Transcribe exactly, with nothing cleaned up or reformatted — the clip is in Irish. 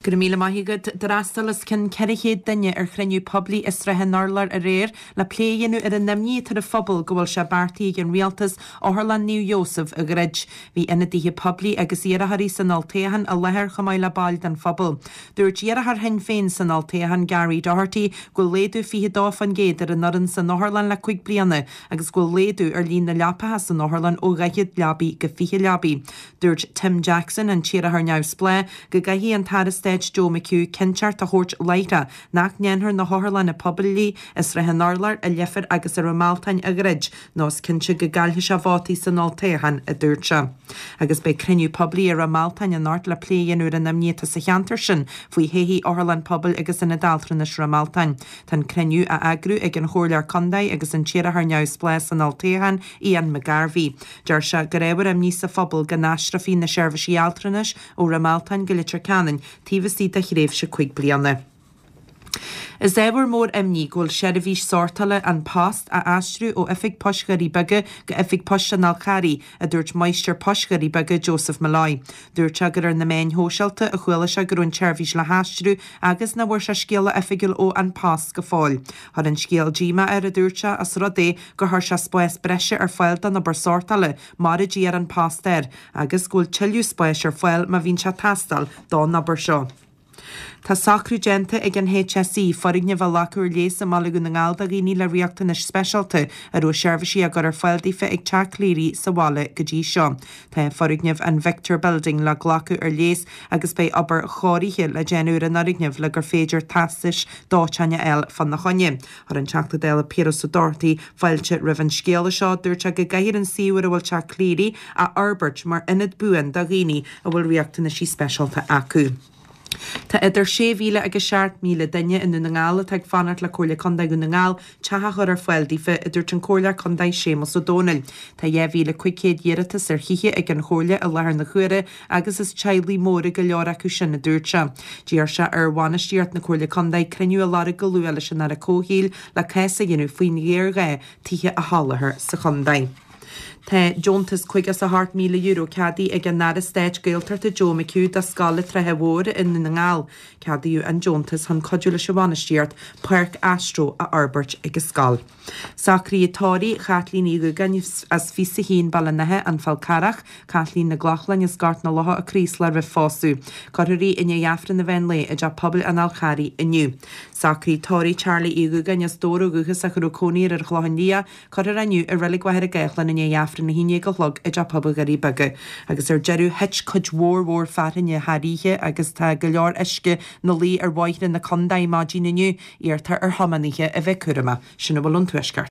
Go raibh míle maith agat. D'fhreastail os cionn ceithre chéad duine ar chruinniú poiblí i Srath an Urláir aréir le plé a dhéanamh ar an imní atá ar an phobal go bhfuil sé beartaithe ag an rialtas Otharlann Naomh Iósaf a dhruid. Bhí ionadaithe poiblí agus iarrthóirí san olltoghchán i láthair chomh maith le baill den phobal. Dúirt iarrthóir Shinn Féin san olltoghchán Gary Doherty go bhfuil laghdú fiche dó faoin gcéad ar an fhoireann san otharlann le cúig bliana agus go bhfuil laghdú ar líon na leapacha san otharlann ó dhaichead leabaidh go fiche leabaidh. Dúirt Tim Jackson, an t-iarrthóir neamhspleách, go gcaithfidh an tAire Stáit Joe McHugh cinnteacht a thabhairt láithreach nach ndéanfar na hotharlanna poiblí i Srath an Urláir, i Leifear agus i Ráth Mealtain a dhruid, nó is cinnte go gcaillfidh sé vótaí san olltoghchán, a dúirt sé. Agus beidh cruinniú poiblí i Ráth Mealtain anocht le plé a dhéanamh ar an imní atá sa cheantar sin faoi thodhchaí Otharlann Pobail agus Ionad Altranais Ráth Mealtain. Tá an cruinniú á eagrú ag an Chomhairleoir Contae agus an t-iarrthóir neamhspleách san olltoghchán, Ian McGarvey. Deir sé gur ábhar imní sa phobal go n-aistreofaí na seirbhísí altranais ó Ráth Mealtain go Leitir Ceanainn taobh istigh de thréimhse cúig bliana. Is ábhar mór imní go bhfuil seirbhís sórtála An Post á aistriú ó Oifig Poist Dhoirí Beaga go Oifig Poist an Fhál Carraigh, a dúirt Máistir Poist Dhoirí Beaga Joseph Molloy. Dúirt sé gur ar na meáin shóisialta a chuala sé go raibh an tseirbhís le haistriú agus nach bhfuair sé scéala oifigiúil ó An Post go fóill. Chuir an scéal díomá air, a dúirt sé, os rud é gur chuir sé spás breise ar fáil don obair sórtála, mar a d'iarr An Post air, agus go bhfuil tuilleadh spáis ar fáil má bhíonn sé ag teastáil don obair seo. Tá socrú déanta ag an HSE foirgneamh a ghlacadh ar léas i mBaile Dhún na nGall do dhaoine le riachtanais speisialta a raibh seirbhísí á gcur ar fáil daofa ag Teach Cleary sa bhaile go dtí seo. Tá foirgneamh an Victor Building le glacadh ar léas agus beidh obair chóirithe le déanamh ar an fhoirgneamh le gur féidir teastais dóiteáin a fháil fána choinne. Chuir an Teachta Dála Piaras Ó Dochartaigh fáilte roimh an scéala seo. Dúirt sé go gcaithfear an suíomh ar a bhfuil Teach Cleary a fhorbairt mar ionad buan do dhaoine a bhfuil riachtanaisí speisialta acu. Tá idir sé mhíle agus seacht míle duine i nDún na nGall atá ag fanacht le Comhairle Contae Dhún na nGall teach a chur ar fáil daofa, a dúirt an Comhairleoir Contae Séamus Ó Domhnaill. Tá dhá mhíle cúig chéad iarratas ar thithe ag an Chomhairle i láthair na huaire agus is teaghlaigh móra go leor acu sin, a dúirt sé. D'iarr sé ar bhainistíocht na Comhairle Contae cruinniú a lorg go luath leis an Aire Comhshaoil le cás a dhéanamh faoin ghéarghá tithe a sholáthar sa chontae. Tá deontas caoga is a hocht míle euro ceadaithe ag an Aire Stáit Gaeltachta Joe McHugh do Scoil an tSratha Mhóir i nDún na nGall. Ceadaíodh an deontas chun cuidiú leis an bhainistíocht páirc astro a fhorbairt ag an scoil. Socruithe tórraimh Chaitlín Uí Dhúgáin as fiche a haon Baile an Átha, An Fál Carrach, Caitlín Nic Lochlainn as Gort na Locha, Craoslach roimh phósadh. Cuirfear í i ndiaidh Aifreann an mheán lae i dTeach Pobail an Fháil Charraigh inniu. Socruithe tórraimh Charlie Uí Dhúgáin as Dobhar ó dhúchas ach a raibh cónaí air ar an Chlochán Liath, Cuirfear é inniu i Reilig Mhachaire Gathlán i ndiaidh Aifreann a haon déag a chlog i dTeach Pobail Dhoirí Beaga. Agus ar deireadh, thit cuid mhór mhór fearthainne thar oíche agus tá go leor uisce 'na luí ar bhóithre na contae maidin inniu. Iarrtar ar thiománaithe a bheith cúramach. Sin a bhfuil ón Tuaisceart.